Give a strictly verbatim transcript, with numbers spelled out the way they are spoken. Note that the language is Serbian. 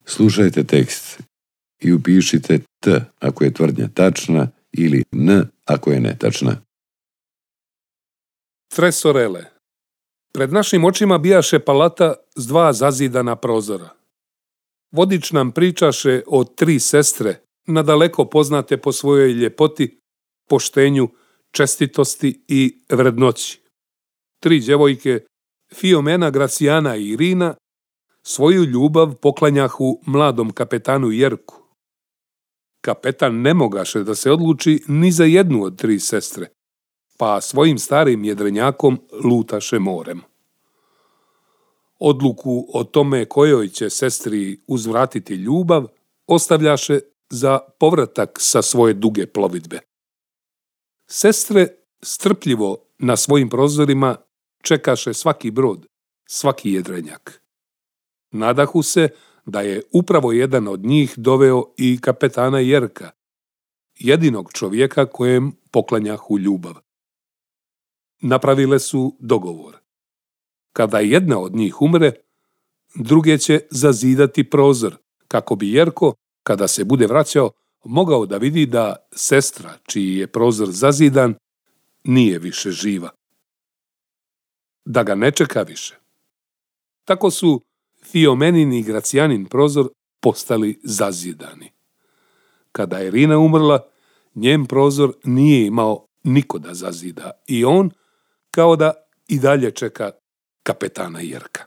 Slušajte tekst i upišite T ako je tvrdnja tačna ili N ako je netačna. Tresorele. Pred našim očima bijaše palata s dva zazidana prozora. Vodič nam pričaše o tri sestre, nadaleko poznate po svojoj ljepoti, poštenju, čestitosti i vrednoći. Tri djevojke, Fiomena, Gracijana i Irina, svoju ljubav poklanjahu mladom kapetanu Jerku. Kapetan ne mogaše da se odluči ni za jednu od tri sestre, pa svojim starim jedrenjakom lutaše morem. Odluku o tome kojoj će sestri uzvratiti ljubav ostavljaše za povratak sa svoje duge plovidbe. Sestre strpljivo na svojim prozorima čekaše svaki brod, svaki jedrenjak. Nadahu se da je upravo jedan od njih doveo i kapetana Jerka, jedinog čovjeka kojem poklanjahu ljubav. Napravile su dogovor. Kada jedna od njih umre, druge će zazidati prozor, kako bi Jerko, kada se bude vraćao, mogao da vidi da sestra, čiji je prozor zazidan, nije više živa. Da ga ne čeka više. Tako su Fiomenin i Gracijanin prozor postali zazidani. Kada je Irina umrla, njen prozor nije imao niko da zazida i on kao da i dalje čeka kapetana Jerka.